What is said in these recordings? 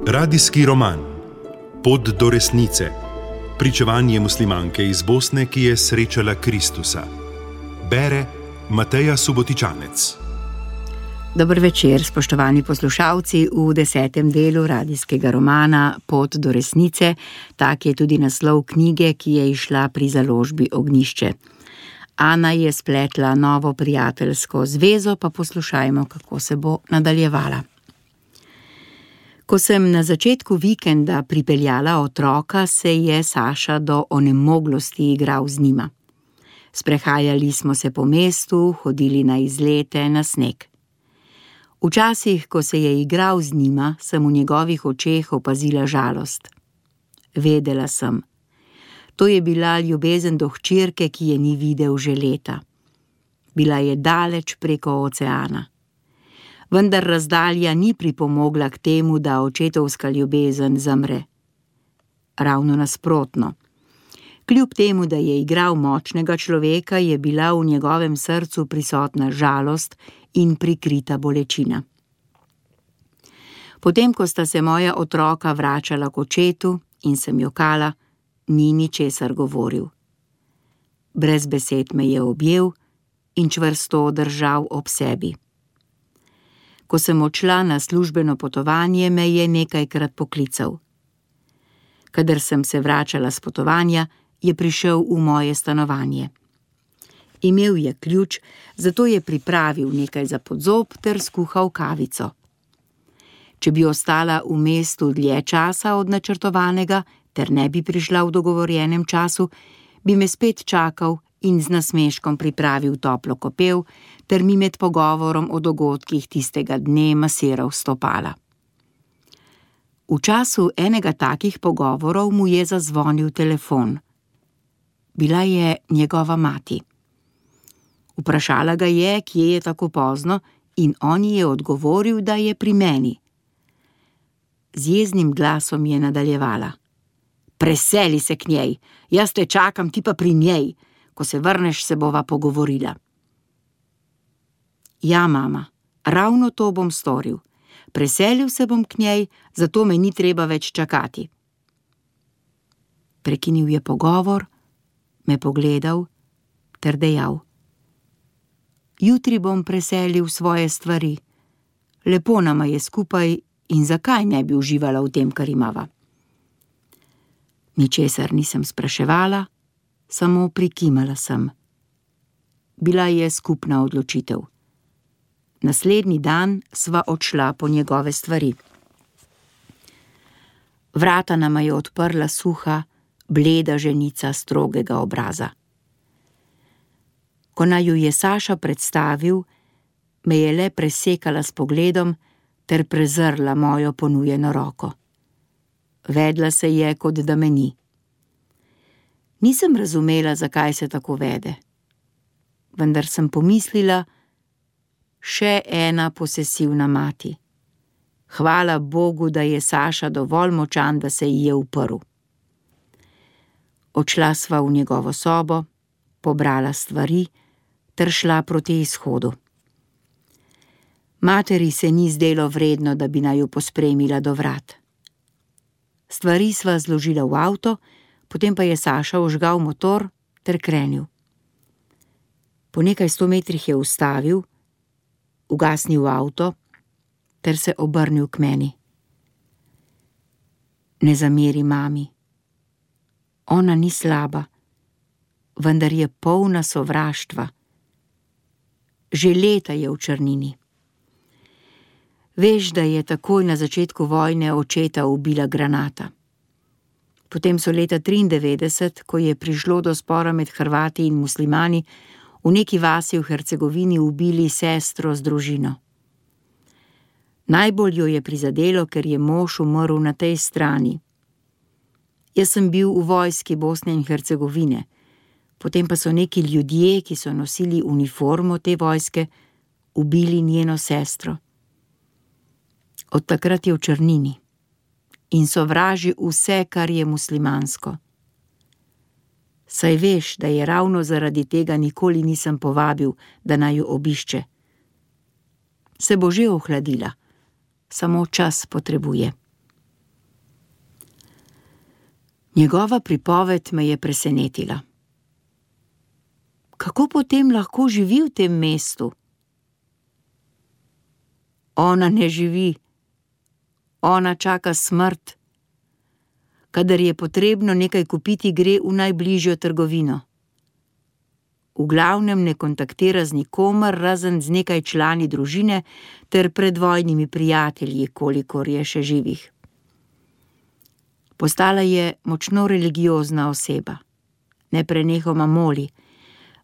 Radijski roman Pot do resnice. Pričevanje muslimanke iz Bosne, ki je srečala Kristusa. Bere Mateja Subotičanec. Dober večer, spoštovani poslušalci, v 10. delu radijskega romana Pot do resnice. Tak je tudi naslov knjige, ki je izšla pri založbi Ognjišče. Ana je spletla novo prijateljsko zvezo, pa poslušajmo, kako se bo nadaljevala. Ko sem na začetku vikenda pripeljala otroka, se je Saša do onemoglosti igral z njima. Sprehajali smo se po mestu, hodili na izlete, na sneg. Včasih, ko se je igral z njima, sem v njegovih očeh opazila žalost. Vedela sem. To je bila ljubezen do hčerke, ki je ni videl že leta. Bila je daleč preko oceana. Vendar razdalja ni pripomogla k temu, da očetovska ljubezen zamre. Ravno nasprotno. Kljub temu, da je igral močnega človeka, je bila v njegovem srcu prisotna žalost in prikrita bolečina. Potem, ko sta se moja otroka vračala k očetu in sem jokala, ni ničesar govoril. Brez besed me je objel in čvrsto držal ob sebi. Ko sem odšla na službeno potovanje, me je nekajkrat poklical. Kadar sem se vračala s potovanja, je prišel v moje stanovanje. Imel je ključ, zato je pripravil nekaj za podzob ter skuhal kavico. Če bi ostala v mestu dlje časa od načrtovanega ter ne bi prišla v dogovorjenem času, bi me spet čakal in z nasmeškom pripravil toplo kopel ter mi med pogovorom o dogodkih tistega dne masiral stopala. V času enega takih pogovorov mu je zazvonil telefon. Bila je njegova mati. Vprašala ga je, kje je tako pozno, in on ji je odgovoril, da je pri meni. Z jeznim glasom je nadaljevala. Preseli se k njej, jaz te čakam, ti pa pri njej. Ko se vrneš, se bova pogovorila. Ja, mama, ravno to bom storil. Preselil se bom k njej, zato me ni treba več čakati. Prekinil je pogovor, me pogledal ter dejal. Jutri bom preselil svoje stvari. Lepo nama je skupaj in zakaj ne bi uživala v tem, kar imava? Ničesar nisem spraševala, samo prikimala sem. Bila je skupna odločitev. Naslednji dan sva odšla po njegove stvari. Vrata nama je odprla suha, bleda ženica strogega obraza. Ko naju je Saša predstavil, me je le presekala s pogledom ter prezrla mojo ponujeno roko. Vedla se je, kot da me ni. Nisem razumela, zakaj se tako vede. Vendar sem pomislila, še ena posesivna mati. Hvala Bogu, da je Saša dovolj močan, da se ji je uprl. Odšla sva v njegovo sobo, pobrala stvari ter šla proti izhodu. Materi se ni zdelo vredno, da bi naju pospremila do vrat. Stvari sva zložila v avto, potem pa je Saša vžgal motor ter krenil. Po nekaj 100 metrih je ustavil, ugasnil avto ter se obrnil k meni. Ne zameri mami. Ona ni slaba, vendar je polna sovraštva. Že leta je v črnini. Veš, da je takoj na začetku vojne očeta ubila granata. Potem so leta 1993, ko je prišlo do spora med Hrvati in muslimani, v neki vasi v Hercegovini ubili sestro z družino. Najbolj jo je prizadelo, ker je mož umrl na tej strani. Jaz sem bil v vojski Bosne in Hercegovine, potem pa so neki ljudje, ki so nosili uniformo te vojske, ubili njeno sestro. Od takrat je v črnini in sovraži vse, kar je muslimansko. Saj veš, da je ravno zaradi tega nikoli nisem povabil, da naj jo obišče. Se bo že ohladila, samo čas potrebuje. Njegova pripoved me je presenetila. Kako potem lahko živi v tem mestu? Ona ne živi. Ona čaka smrt. Kadar je potrebno nekaj kupiti, gre v najbližjo trgovino. V glavnem ne kontaktira z nikomer, razen z nekaj člani družine ter predvojnimi prijatelji, kolikor je še živih. Postala je močno religiozna oseba. Neprenehoma moli,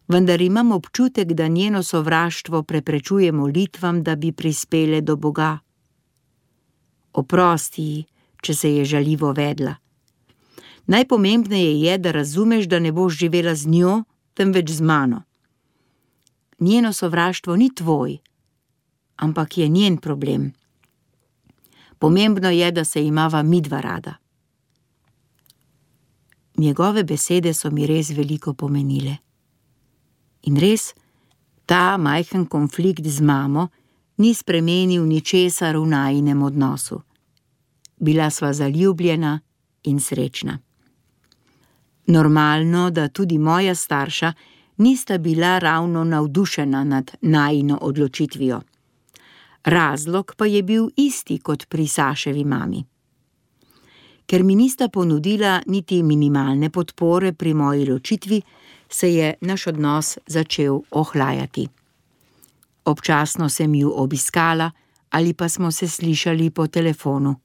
vendar imam občutek, da njeno sovraštvo preprečuje molitvam, da bi prispele do Boga. Oprosti ji, če se je žaljivo vedla. Najpomembneje je, da razumeš, da ne boš živela z njo, temveč z mano. Njeno sovraštvo ni tvoj, ampak je njen problem. Pomembno je, da se imava midva rada. Njegove besede so mi res veliko pomenile. In res, ta majhen konflikt z mamo ni spremenil ničesar v najinem odnosu. Bila sva zaljubljena in srečna. Normalno, da tudi moja starša nista bila ravno navdušena nad najino odločitvijo. Razlog pa je bil isti kot pri Saševi mami. Ker mi nista ponudila niti minimalne podpore pri moji ločitvi, se je naš odnos začel ohlajati. Občasno sem ju obiskala ali pa smo se slišali po telefonu,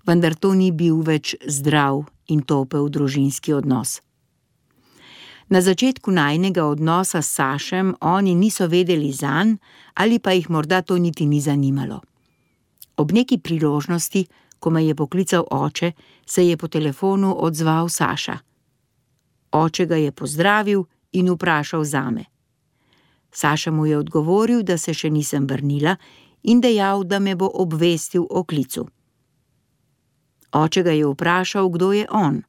vendar to ni bil več zdrav in topel družinski odnos. Na začetku najinega odnosa s Sašem oni niso vedeli zanj ali pa jih morda to niti ni zanimalo. Ob neki priložnosti, ko me je poklical oče, se je po telefonu odzval Saša. Oče ga je pozdravil in vprašal zame. Saša mu je odgovoril, da se še nisem vrnila in dejal, da me bo obvestil o klicu. Oče ga je vprašal, kdo je on.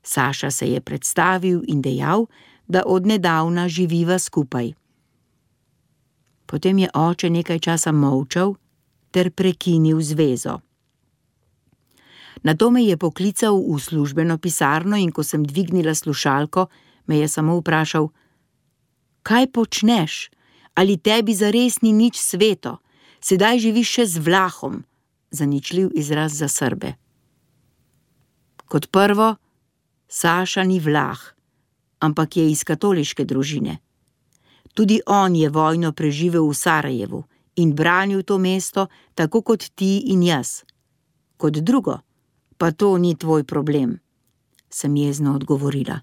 Saša se je predstavil in dejal, da od nedavna živiva skupaj. Potem je oče nekaj časa molčal ter prekinil zvezo. Nato me je poklical v službeno pisarno in ko sem dvignila slušalko, me je samo vprašal: Kaj počneš? Ali tebi zares ni nič sveto? Sedaj živiš še z Vlahom, zaničljiv izraz za Srbe. Kot prvo, Saša ni Vlah, ampak je iz katoliške družine. Tudi on je vojno preživel v Sarajevu in branil to mesto, tako kot ti in jaz. Kot drugo, pa to ni tvoj problem, sem jezno odgovorila.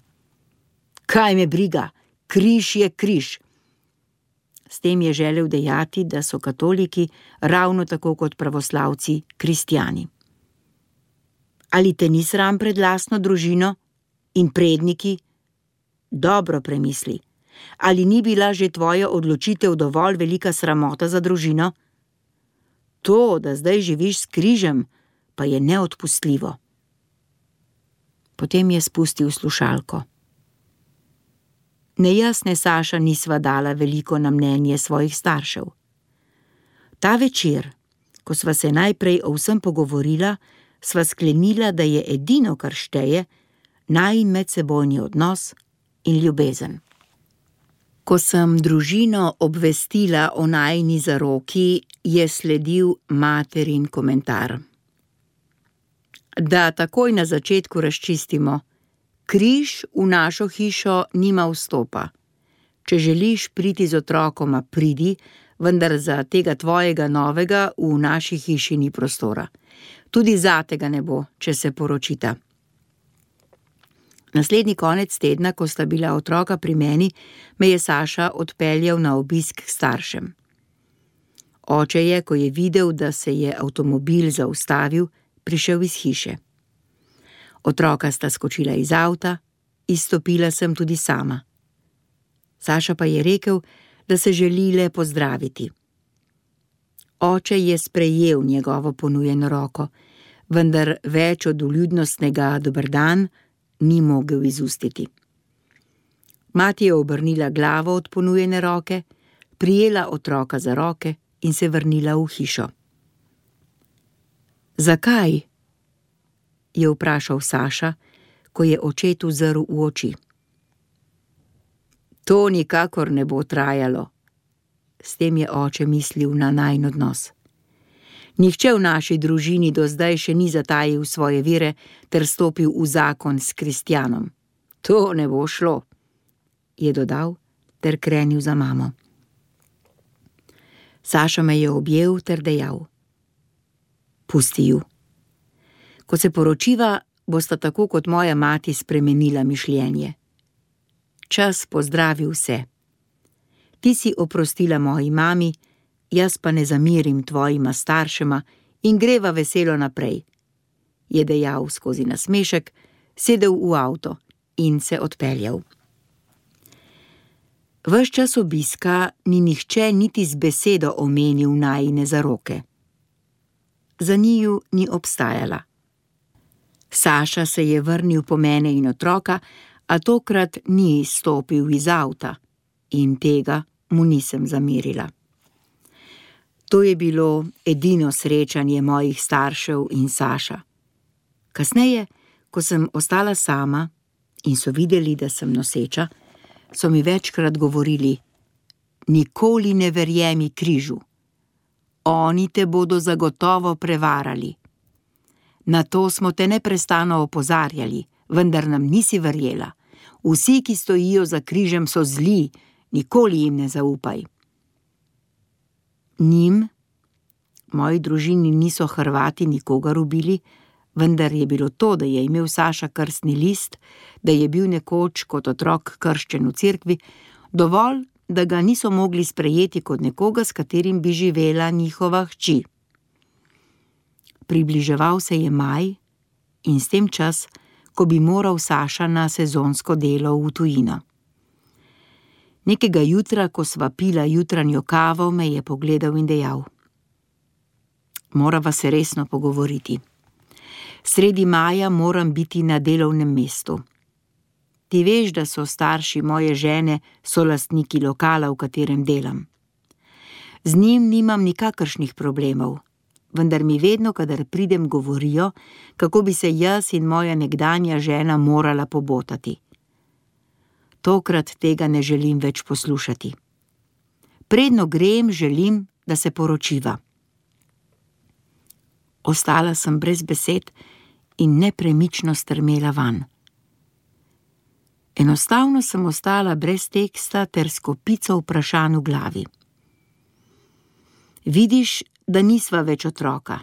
Kaj me briga, križ je križ. S tem je želel dejati, da so katoliki ravno tako kot pravoslavci kristjani. Ali te ni sram pred lastno družino in predniki? Dobro premisli. Ali ni bila že tvoja odločitev dovolj velika sramota za družino? To, da zdaj živiš s križem, pa je neodpustljivo. Potem je spustil slušalko. Ne jaz ne Saša nisva dala veliko na mnenje svojih staršev. Ta večer, ko sva se najprej o vsem pogovorila, sva sklenila, da je edino, kar šteje, najin medsebojni odnos in ljubezen. Ko sem družino obvestila o najini zaroki, je sledil materin komentar. Da takoj na začetku razčistimo, križ v našo hišo nima vstopa. Če želiš priti z otrokoma, pridi, vendar za tega tvojega novega v naši hiši ni prostora. Tudi zate ga ne bo, če se poročita. Naslednji konec tedna, ko sta bila otroka pri meni, me je Saša odpeljal na obisk k staršem. Oče je, ko je videl, da se je avtomobil zaustavil, prišel iz hiše. Otroka sta skočila iz avta, izstopila sem tudi sama. Saša pa je rekel, da se želi le pozdraviti. Oče je sprejel njegovo ponujeno roko, vendar več od vljudnostnega dober dan ni mogel izustiti. Mati je obrnila glavo od ponujene roke, prijela otroka za roke in se vrnila v hišo. Zakaj? Je vprašal Saša, ko je očetu zrl v oči. To nikakor ne bo trajalo. S tem je oče mislil na najin odnos. Nihče v naši družini do zdaj še ni zatajil svoje vere ter stopil v zakon s Kristjanom. To ne bo šlo, je dodal ter krenil za mamo. Saša me je objel ter dejal: Pusti ju. Ko se poročiva, bosta tako kot moja mati spremenila mišljenje. Čas pozdravi vse. Ti si oprostila moji mami, jaz pa ne zamirim tvojima staršema in greva veselo naprej, je dejal skozi nasmešek, sedel v avto in se odpeljal. Ves čas obiska ni nihče niti z besedo omenil najine zaroke. Za njiju ni obstajala. Saša se je vrnil po mene in otroka, a tokrat ni stopil iz avta in tega mu nisem zamerila. To je bilo edino srečanje mojih staršev in Saša. Kasneje, ko sem ostala sama in so videli, da sem noseča, so mi večkrat govorili: nikoli ne verjemi križu. Oni te bodo zagotovo prevarali. Na to smo te neprestano opozarjali, vendar nam nisi verjela. Vsi, ki stojijo za križem, so zli, nikoli jim ne zaupaj. Njim, moji družini niso Hrvati nikogar ubili, vendar je bilo to, da je imel Saša krstni list, da je bil nekoč kot otrok krščen v cerkvi, dovolj, da ga niso mogli sprejeti kot nekoga, s katerim bi živela njihova hči. Približeval se je maj in s tem čas, ko bi moral Saša na sezonsko delo v tujino. Nekega jutra, ko sva pila jutranjo kavo, me je pogledal in dejal: morava se resno pogovoriti. Sredi maja moram biti na delovnem mestu. Ti veš, da so starši moje žene solastniki lokala, v katerem delam. Z njim nimam nikakršnih problemov, vendar mi vedno, kadar pridem, govorijo, kako bi se jaz in moja nekdanja žena morala pobotati. Tokrat tega ne želim več poslušati. Predno grem, želim, da se poročiva. Ostala sem brez besed in nepremično strmela vanj. Enostavno sem ostala brez teksta ter s kopico vprašanj v glavi. Vidiš, da nisva več otroka.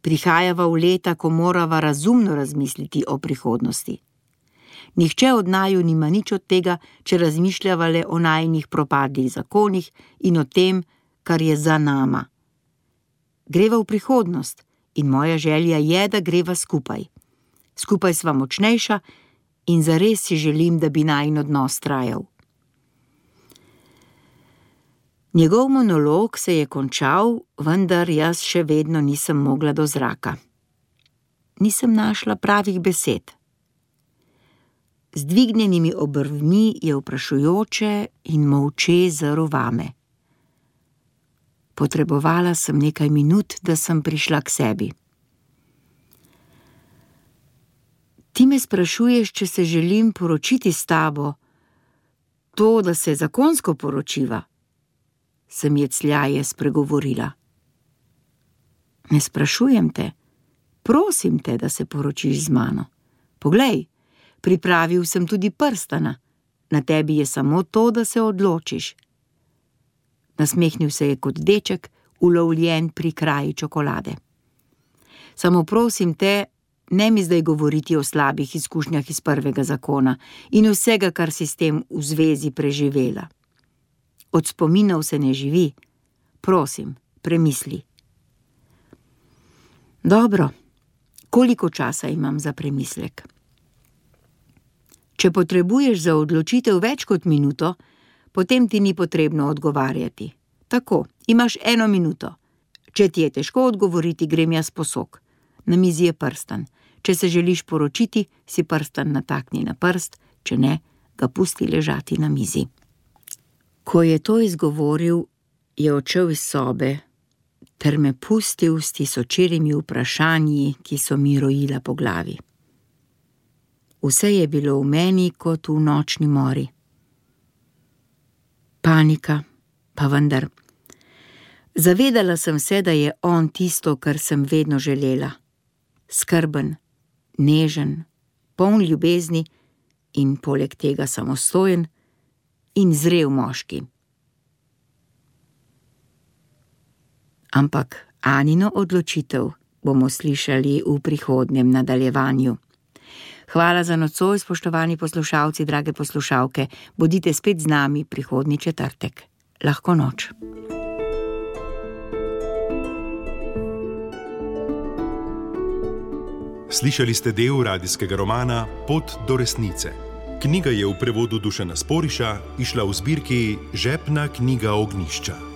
Prihajava v leta, ko morava razumno razmisliti o prihodnosti. Nihče od naju nima nič od tega, če razmišljava le o najinih propadlih zakonih in o tem, kar je za nama. Greva v prihodnost in moja želja je, da greva skupaj. Skupaj sva močnejša in zares si želim, da bi najin odnos trajal. Njegov monolog se je končal, vendar jaz še vedno nisem mogla do zraka. Nisem našla pravih besed. Z dvignjenimi obrvmi je vprašujoče in molče zrl vame. Potrebovala sem nekaj minut, da sem prišla k sebi. Ti me sprašuješ, če se želim poročiti s tabo. To, da se zakonsko poročiva, sem jecljaje spregovorila. Ne sprašujem te, prosim te, da se poročiš z mano. Poglej, pripravil sem tudi prstana, na tebi je samo to, da se odločiš. Nasmehnil se je kot deček, ulovljen pri kraji čokolade. Samo prosim te, ne mi zdaj govoriti o slabih izkušnjah iz prvega zakona in vsega, kar si s tem v zvezi preživela. Od spominov se ne živi. Prosim, premisli. Dobro, koliko časa imam za premislek? Če potrebuješ za odločitev več kot minuto, potem ti ni potrebno odgovarjati. Tako, imaš 1 minuto. Če ti je težko odgovoriti, grem jaz po sok. Na mizi je prstan. Če se želiš poročiti, si prstan natakni na prst, če ne, ga pusti ležati na mizi. Ko je to izgovoril, je odšel iz sobe ter me pustil s tisočerimi vprašanji, ki so mi rojila po glavi. Vse je bilo v meni kot v nočni mori. Panika, pa vendar. Zavedala sem se, da je on tisto, kar sem vedno želela. Skrben, nežen, poln ljubezni in poleg tega samostojen in zrel moški. Ampak Anino odločitev bomo slišali v prihodnjem nadaljevanju. Hvala za nocoj, spoštovani poslušalci, drage poslušalke. Bodite spet z nami prihodnji četrtek. Lahko noč. Slišali ste del radijskega romana Pot do resnice. Knjiga je v prevodu Dušana Sporiša izšla v zbirki Žepna knjiga Ognjišča.